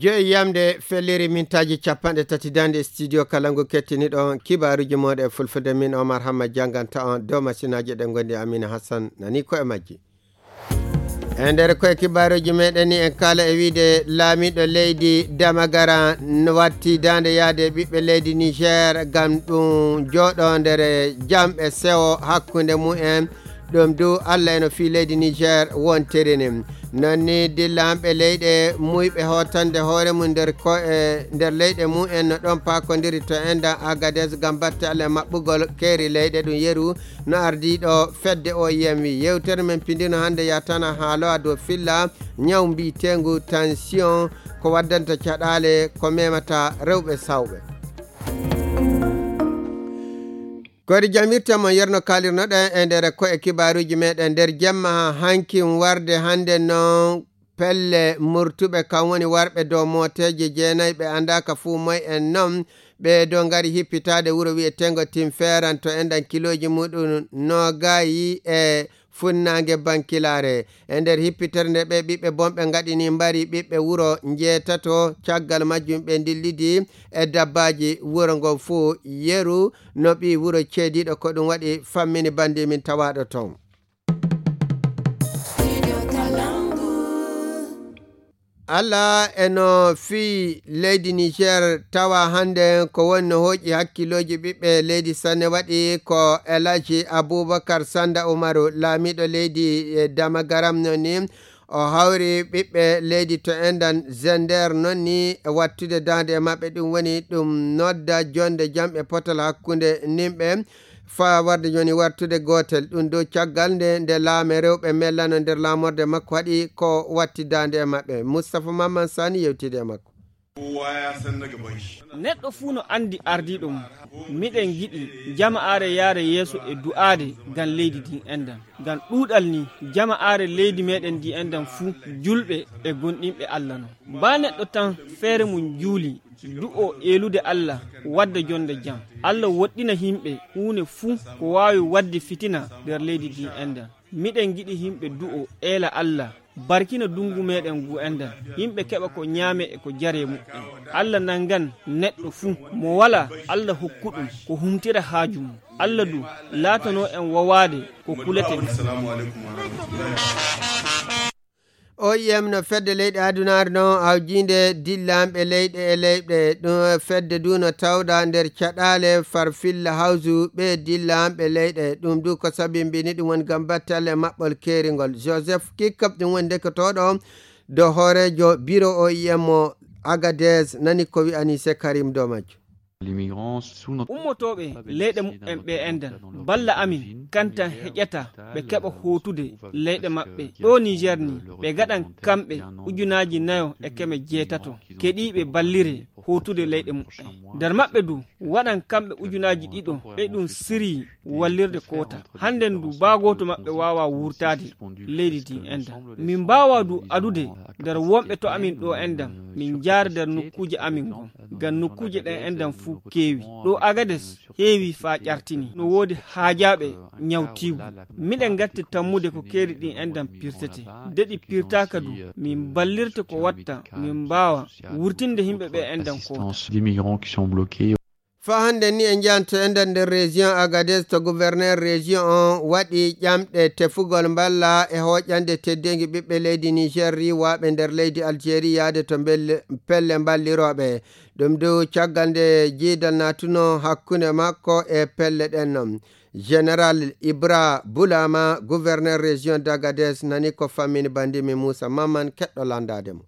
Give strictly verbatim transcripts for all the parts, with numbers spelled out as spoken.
Yo e yamde felliri mintaaji capanɗe tati daande studio kala ngu kettiniɗon kibaaruuji mooɗon e fulfulde, min Omar Hamma jannganta on dow masinaaji ɗe ngondi Amina Hassan nani ko e majji. E nder koye kibaaruuji meɗen ni en kaala e wiide laamiɗo leydi Damagara n-, watti daande yaade ɓiɓɓe leydi Niger ngam ɗum jooɗo nder jam e sewo hakkunde mumen. Ɗum du Allah eno fii leydi Niger wontiri ni. Non ni dillanɓe leyɗe muyɓe hootande hoore mum nder ko e nder leyɗe mumen no ɗon paakondiri to endan Agadez ngam batte Allah e maɓɓugol keeri leyɗe ɗum yeru no ardiiɗo fedde O I M wi. Yewtere men pindino hannde yatana haalowa dow filla ñaw mbiyeteengu tension ko waddanta caɗaale ko memata rewɓe sawɓe. Koyɗe jamirta mo yerno kaalirnoɗen e nder ko e kibaaruuji meɗen nder jemma hankin warde hannde noon pelle murtuɓe kam woni warɓe dow mooteeje jeenayi ɓe anndaaka fuu moy en noon ɓe dow ngari hippitaade wuro wiyeteengo Tinferan to enɗan kilooji muɗum noogayi e funnaange bankilaare. E nder hippitere nde ɓe ɓiɓɓe bonɓe ngaɗini mbari ɓiɓɓe wuro njeetato caggal majjum ɓe ndillidi e dabbaaji wuro ngon fuu yeru no ɓii wuro ceediiɗo ko ɗum waɗi fammini banndi min tawaaɗo toon. Allah eno fii leydi Niger tawa hannde ko woni no hooƴi hakkilooji ɓiɓɓe leydi sanne waɗi ko Elaji Abubakar Sanda Umaru laamiiɗo leydi e Damagaram no ni o hawri ɓiɓɓe leydi to enɗan Zender non ni e wattude daande e maɓɓe ɗum woni ɗum nodda jonde jam e potal hakkunde nimɓe faa warde jooni wartude gootel ɗum dow caggal nde nde laame rewɓe mellano nder laamorde makko haɗi ko watti daande e maɓɓe. Mustapha Mamman Sani yewtide e makko. Neɗɗo fuu no anndi ardiiɗo mum. Miɗen ngiɗi jama'aare yaare yeeso e du'aade ngam leydi ndin enɗan. Ngam ɗuuɗal ni jama'aare leydi meɗen ndi enɗan fuu julɓe e gomɗinɓe Allah non. Baa neɗɗo tan feere mum juuli du'oo eelude Allah wadda jonde jam. Allah woɗɗina yimɓe huune fuu ko waawi wadde fitina nder leydi ndin enɗan. Miɗen ngiɗi yimɓe du'oo eela Allah barkina dungu meɗen ngu enɗan. Yimɓe keɓa ko ñaame e ko jaree muɓɓen. Allah nanngan neɗɗo fuu mo walaa Allah hokku ɗum ko humtira haaju mum. Allah du laatanoo en wawaade ko kuleten. O I M no fedde leyɗe adunaare no hawjiinde dillanɓe leyɗe e leyɗe ɗum fedde du no tawɗa nder caɗaale farfilla hawsu ɓe dillanɓe leyɗe ɗum du ko sabimbini ɗum woni ngam battalle maɓɓol keeringol Joseph Kikkap ɗum woni ndekotooɗo dow hooreejo biro O I M o Agadez nani ko wi'ani se Karim dow majjo. Ummotooɓe leyɗe muɓɓen ɓe enɗan balla amin kantan heƴata ɓe keɓa hootude leyɗe maɓɓe ɗo Niger ni ɓe gaɗan kamɓe ujunaaji nayo e keme jeetato keɗiiɓe ballire hootude leyɗe muɓɓen. Nder maɓɓe du waɗan kamɓe ujunaaji ɗiɗo ɓe ɗum siryi wallirde koota. Hannden du baa gooto maɓɓe waawaa wurtaade leydi ndin enɗan. Min mbaawaa du adude nder wonɓe to amin ɗo enɗan min njaara nder nokkuuje amin ngon. Ngam nokkuuje ɗen enɗan fuu keewi. Ɗo Agades heewi faa ƴartini. No woodi haajaaɓe ñawtiigu. Miɗen ngatti tammude ko keeri ɗin enɗan pirtetee. De ɗi pirtaaka du min ballirte ko watta min mbaawa wurtinde yimɓe ɓe enɗan koota. Faa hannden ni en njahanto enɗan nder région Agadez to gouverneur région on waɗi ƴamɗe tefugol mballa e hooƴande teddeengi ɓiɓɓe leydi Niger riiwaaɓe nder leydi Algérie yahde to mbelle- pelle mballirooɓe. Ɗum du caggal nde jiidal naatuno hakkunde makko e pelle ɗen non. Général Ibra Bulama, gouverneur région d'Agadez nani ko fammini banndi mi Moussa Mamman keɗɗo lanndaade mo.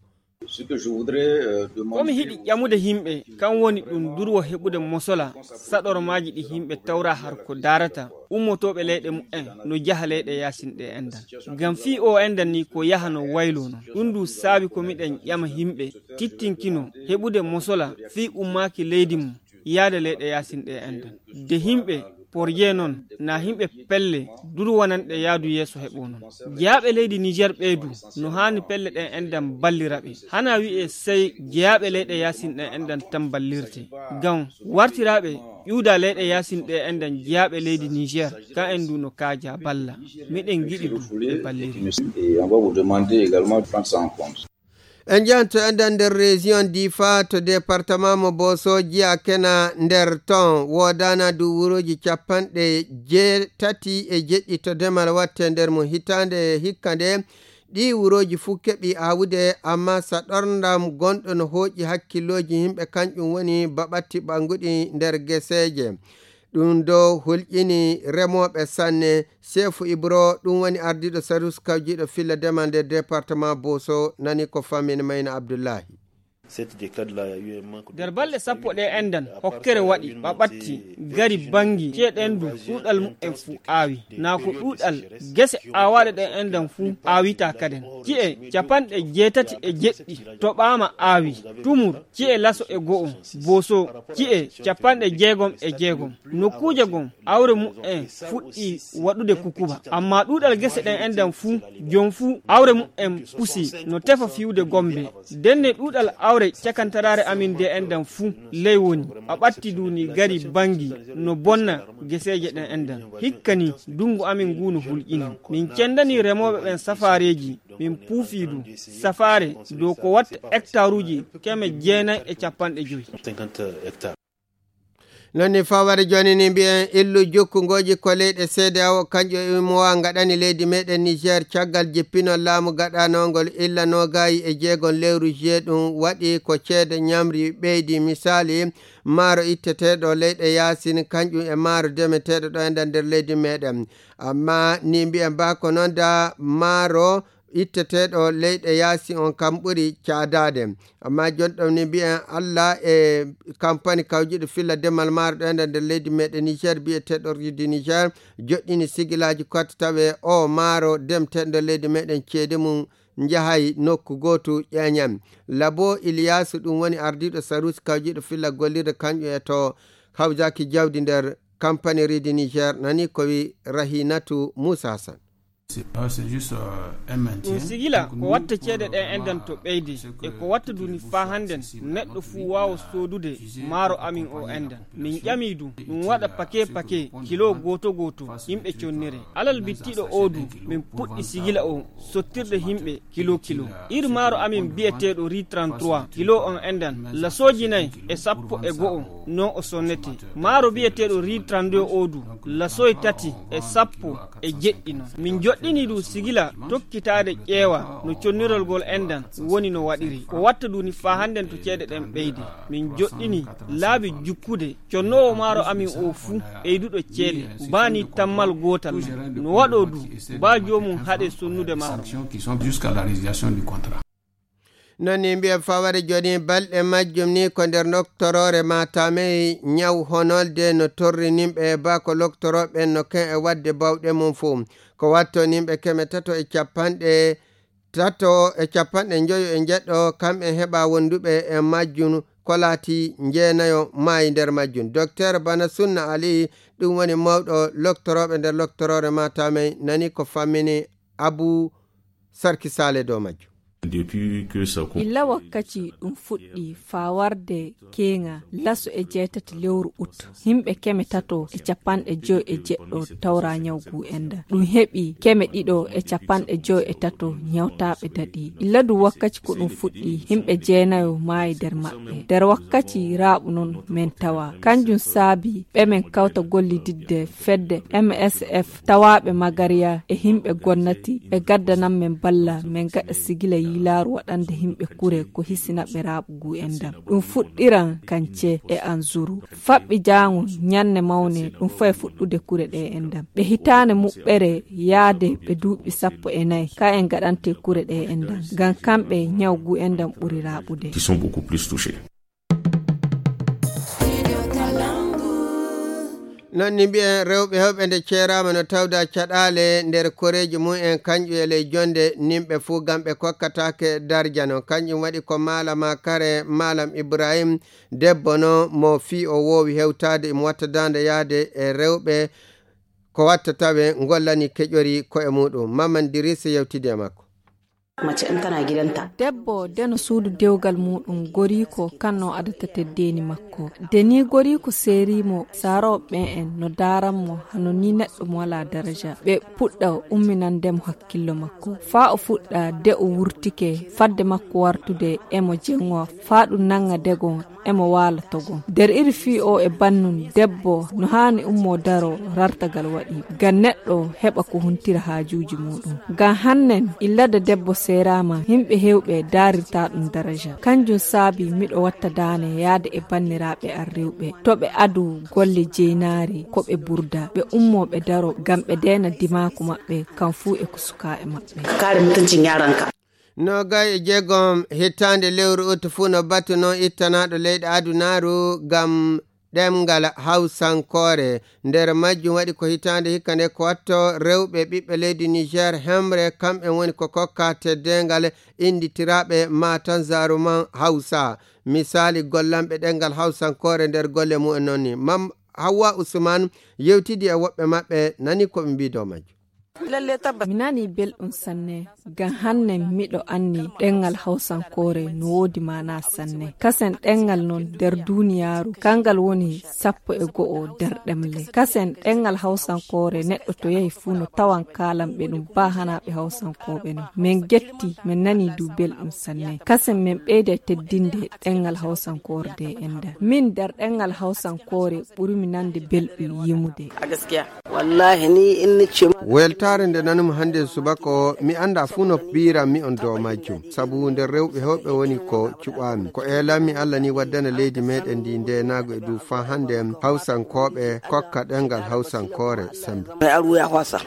Ko mi hiɗi ƴamude yimɓe kan woni ɗum durwo heɓude mosola saɗormaaji ɗi yimɓe tawra har ko daarata ummotooɓe leyɗe muɓɓen no jaha leyɗe yaasin ɗe enɗan. Ngam fii o enɗan ni ko yaha no wayloo non. Ɗum du saabi ko miɗen ƴama yimɓe tittinkino heɓude mosola fii ummaaki leydi mum yaade leyɗe yaasin ɗe enɗan. De yimɓe porje non na yimɓe pelle durwananɗe yaadu yeeso heɓo non. Jeyaaɓe leydi Niger ɓee du no haani pelle ɗen enɗan ballira ɓe. Hana wi'e sey jeyaaɓe leyɗe yaasin ɗen enɗan tan ballirte. Ngam wartiraaɓe ƴuuda leyɗe yaasin ɗe enɗan jeyaaɓe leydi Niger kan en du no kaaja balla. Miɗen ngiɗi du ɓe balliri. En njahan to enɗan nder région Difa to département mo Boso, jiya kena nder ton woodana du wuroji capanɗe jeetati e jeɗɗi to demal watte nder mum. Hitaande hikka nde, ɗi wuroji fuu keɓi awude, amma saɗorndam gonɗo no hooƴi hakkilooji yimɓe, kanƴum woni baɓatti ɓanguɗi nder geseeje. Ɗum do hulƴini remooɓe sanne. Seefu Ibro, ɗum woni ardiiɗo sarus kawjiiɗo filla demal nder département Boso, nani ko famini Mayna Abdullahi. Nder balɗe sappo ɗe enɗan, hokkere waɗi, ɓaɓatti, gari, bangi, ceeɗendu, ɗuuɗal mu'en fuu aawi. Naa ko ɗuuɗal gese aawaaɗe ɗe enɗan fuu aawita kaden. Ci'e capanɗe jeetati e jeɗɗi toɓaama aawi. Tumur, ci'e laso e go'o. Boso, ci'e capanɗe jeegom e jeegom. Nokkuuje gom, awre mu'en fuɗɗi waɗude kukuba. Amma ɗuuɗal gese ɗen enɗan fuu, jom fuu, awre mu'en pusi no tefa fiwde gombe. Denne ɗuuɗal awre cakantaraare amin de enɗan fuu, ley woni. A ɓatti du ni gari bangi no bonna geseeje ɗen enɗan. Hikka ni, dungu amin ngu no hulƴini. Min cendani remooɓe ɓen safaareeji, min puufi du safaare dow ko watta hektaruuji keme jeenay e capanɗe joy. Non ni fawade jooni ni mbiyen illu jukkungoji ko leyɗe C D A O, kanƴo e umowa ngaɗani leydi meɗen Niger caggal jippinol laamu gaɗanongol illa nogayi e jeegon lewru juillet. Ɗum waɗi ko ceede ñamri ɓeydi, misali maaro itteteɗo leyɗe yaasin kanƴum e maaro demeteɗo ɗo e nder, nder leydi meɗen. Amma ni mbiyen ba ko noon da maaro itteteɗo leyɗe yaasi on kam ɓuri caadaade. Amma jonɗon ni mbiyen Allah e kampani kawjiɗo filla demal maaro ɗo e nder leydi meɗen Niger, biyeteɗo Ridi Niger, joɗɗini sigilaaji kotta tawe o maaro demteɗo leydi meɗen ceede mum njahay nokku gootu ƴeeñan. Labo Iliyasu, ɗum woni ardiiɗo saruusi kawjiɗo filla gollirde kanƴum e to hawjaki jawdi nder kampani Ridi Niger, nani ko wi Rahinatu Musa Hassan. Ɗum sigila ko watta ceede ɗen enɗan to ɓeyde, e ko watta duni faa hannden neɗɗo fuu waawa soodude maaro amin o enɗan. Min ƴami du ɗum waɗa pake pake kilo gooto gooto yimɓe connire. Alal bittiɗo o du min puɗɗi sigila o sottirde yimɓe kilo kilo. Ir maaro amin biyeteeɗo ri trente-trois kilo on enɗan lasooji nay e sappo e go'o non o sonnete. Maaro biyeteeɗo ri trente-deux o du lasooji tati e sappo e jeɗɗi non. Min joɗɗini du sigila tokkitaade ƴeewa no connirol ngol enɗan woni no waɗiri. Ko watta du ni faa hannden to ceede ɗen ɓeyde. Min joɗɗini laabi jukkude connoowo maaro amin o fuu ɓeyduɗo ceede baa ni tammal gootal non. No waɗoo du baa joomum haɗe sonnude maaro. Non ni mbiyen fawade jooni balɗe majjum ni ko nder loktoroore Matamey ñaw honolde no torri nimɓe ba ko loktorooɓe no ken e waɗde bawɗe mum fuu. Ko watto nimɓe keme tato e capanɗe tato e capanɗe njoyo e njeɗɗo kamɓe heɓa wonduɓe e majjum ko laati jeenayo maayi nder majjum. Docteur Bana Sunna Ali, ɗum woni mawɗo loktorooɓe nder loktoroore Matamey, nani ko fammini Abu Sarki Sale dow majjum. Illa wakkaci ɗum fuɗɗi faa warde keeŋa laso e jeetati lewru ut, yimɓe keme tato e capanɗe joy e jeɗɗo tawra ñaw ngu enɗan. Ɗum heɓi keme ɗiɗo e capanɗe joy e tato ñawtaaɓe daɗi. Illa du wakkaci ko ɗum fuɗɗi, yimɓe jeenayo maayi nder maɓɓe. Nder wakkaci raaɓu non men tawa. Kanjum saabi ɓe men kawta gollididde fedde M S F tawaaɓe Magariya e yimɓe gonnati ɓe gaddanan men balla men gaɗa sigila yiilaaru waɗande yimɓe kure ko hisina ɓe raaɓu ngu enɗan. Ɗum fuɗɗiran kance e anzuru. Faɓɓi jaango ñanne mawne ɗum fay fuɗɗude kure ɗe enɗan. Ɓe hitaande muɓɓere yaade ɓe duuɓi sappo e nayi ka en gaɗante kure ɗe enɗan. Ngam kamɓe ñaw ngu enɗan ɓuri raaɓude. Qui sont beaucoup plus touchés. Non ni mbiyen rewɓe hewɓe nde ceeraama no tawda caɗaale nder koreeji mum en, kanƴum e ley jonde nimɓe fuu, ngam ɓe kokkataake darja non. Kanƴum waɗi ko Malam Kare, Malam Ibrahim, debbo no mo fii o woowi hewtaade, imo watta daande yahde e rewɓe, ko watta tawe ngollani keƴori ko'e muɗum. Maman Dirisa yewtidi e makko. Mace in tana gidanta. Debbo deno suudu dewgal muɗum goriiko kan no adata teddeeni makko. De ni goriiko seerimo saarooɓe ɓen en no daaran mo hano ni neɗɗo mo walaa daraja. Ɓe puɗɗa umminande mo hakkillo makko. Faa o fuɗɗa de o wurtike fadde makko wartude e mo jengo faa ɗum nanga degon e mo waala togon. Nder iri fii o e bannun debbo no haani ummo daro rartagal waɗi. Ngam neɗɗo heɓa ko huntira haajuuji muɗum. Ngam hannen illada debbo seeraama, yimɓe heewɓe daarirta ɗum daraja. Kanjum saabi miɗo watta daane yaade e banniraaɓe an rewɓe. To ɓe adu golle jeynaari ko ɓe burda. Ɓe ummo ɓe daro ngam ɓe deena dimaaku maɓɓe kan fuu e ko sukaa e maɓɓe. Kaare mutuncin yaranka. Noogay e jeegom hitaande lewru ut fuu no batu non ittanaaɗo leyɗe adunaaru ngam ɗemngal hawsankoore. Nder majjum waɗi ko hitaande hikka nde ko watto rewɓe ɓiɓɓe leydi Niger hemre, kamɓe woni ko kokka teddeengal innditiraaɓe matan zaruman hawsa. Misaali gollanɓe ɗemngal hawsankoore nder golle mumen non ni. Mam Hawwa Usman yewtidi e woɓɓe maɓɓe, nani ko ɓe mbii dow majjum. Mi nani belɗum sanne, ngam hanne miɗo anni ɗemngal hawsankoore no woodi maana sanne. Kasen ɗemngal non nder duniyaaru, kangal woni sappo e go'o nder ɗemle. Kasen ɗemngal hawsankoore neɗɗo to yahi fuu no tawan kaalanɓe ɗum baa hanaaɓe hawsankooɓe non. Min getti, min nani du belɗum sanne. Kasen min ɓeyda teddinde ɗemngal hawsankoore de enɗan. Min nder ɗemngal hawsankoore ɓurmi nande belɗum yimude. Wallahi ni in ni ce. Weltaare nde nanumi hannde subaka o, mi annda fuu no piiranmi on dow majjum. Sabu nder rewɓe heewɓe woni ko cuɓaami. Ko eelanmi Allah ni waddana leydi meɗen ndi ndeenaagu e dow faa hannde hawsankooɓe kokka ɗemngal hawsankoore sembe. Mai aru ya hwasa.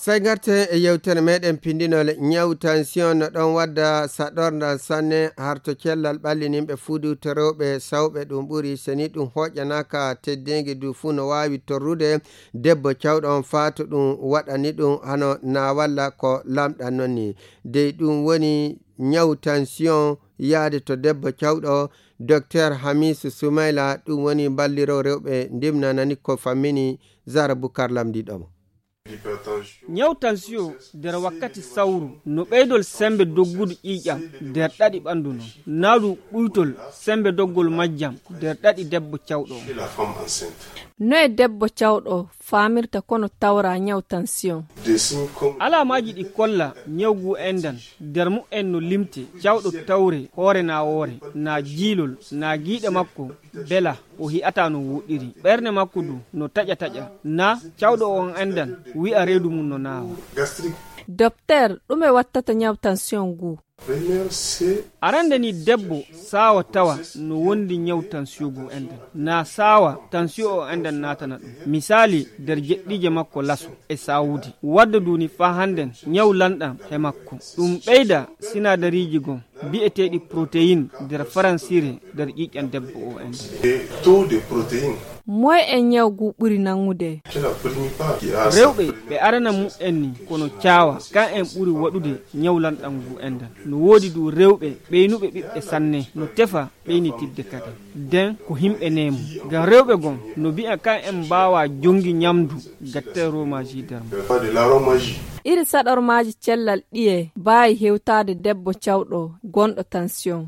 Sey ngarten e yewtere meɗen pindinol ñaw tension no ɗon wadda saɗorndan sanne har to cellal ɓallininɓe fuudu to rewɓe sawɓe ɗum ɓuri. Seni ɗum hoƴanaaka teddingi du fuu no waawi torrude debbo cawɗo on faa to ɗum waɗani ɗum hano na walla ko lamɗan non ni. Dey ɗum woni ñaw tension yaade to debbo cawɗo. Docteur Hamisu Sumayla ɗum woni mballiro rewɓe ndimnanani ko fammini. Zara Bukar lamndiɗo mo. Ñaw tansiyo nder wakkati sawru no ɓeydol sembe doggudu ƴiiƴam nder ɗaɗi ɓandu non. Naa ɗum ɓuytol sembe doggol majjam nder ɗaɗi debbo cawɗo on. No e debbo cawɗo faamirta kono tawra ñaw tansiyon? Alaamaaji ɗi kolla ñaw ngu enɗan nder mu'en no limte, cawɗo tawre hoore naa woore, naa jiilol, naa giiɗe makko bela o hi'ataa no wooɗiri. Ɓernde makko du no taƴa taƴa. Na cawɗo on enɗan wi'a reedu mum no naawa. Dokteer, ɗume wattata ñaw tansiyon ngu? Arande ni debbo saawa tawa no wondi ñaw tansiyo ngu enɗan. Na saawa tansiyo o enɗan naatana ɗum. Misaali nder jeɗɗiije makko laso e saawude. Wadda duni faa hannden ñaw lanɗan he makko. Ɗum ɓeyda sinaadariiji gon bi'eteeɗi protein nder faransire nder ƴiiƴan debbo o en. Moy en ñaw ngu ɓuri nangude? Rewɓe ɓe arana mu'en ni kono caawa kan en ɓuri waɗude ñaw lanɗan ngu enɗan. No woodi du rewɓe ɓeynuɓe ɓiɓɓe sanne no tefa ɓeynitidde kadi. Den ko himɓe neemu. Ngam rewɓe gon no bi'a kan en mbaawa jongi ñamdu gatte romaji nder mum. Iri saɗormaaji cellal ɗiye mbaawi hewtaade debbo cawɗo gonɗo tansiyon?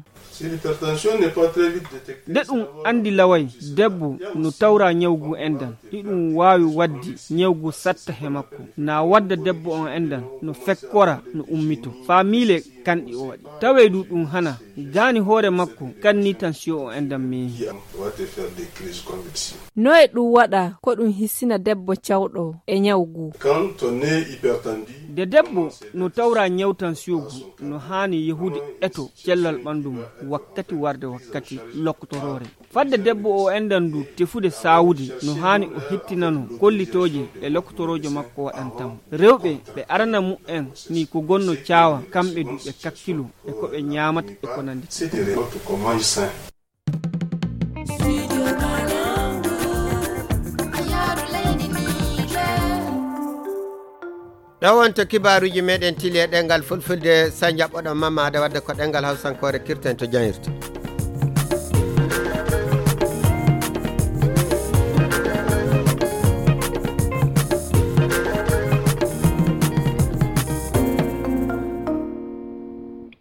Nde ɗum anndi laway, debbo no tawra ñaw ngu enɗan, iɗum waawi waddi ñaw ngu satta he makko. Na wadda debbo on enɗan no fekkora no ummito. Faa miile kanɗi o waɗi. Tawee du ɗum hana, gaani hoore makko, kan ni tansiyo o enɗan meehi. No e ɗum waɗa ko ɗum hisina debbo cawɗo e ñaw ngu? Nde debbo no tawra ñaw tansiyo ngu, no haani yahude eto cellal ɓanndu mum wakkati warde wakkati lokkotoroore. Fadde debbo o enɗan du tefude saawude, no haani o hettinano kollitooje e lokkotoroojo makko waɗanta mo. Rewɓe ɓe arana mu'en ni ko gonno caawa, kamɓe du ɓe kakkilo e ko ɓe ñaamata e ko nanndi. Ɗo wonto kibaaruuji meɗen tili e ɗemngal fulfulde, so njaɓɓoɗon mammaade wadde ko ɗemngal hawsankoore kirten to jangirde.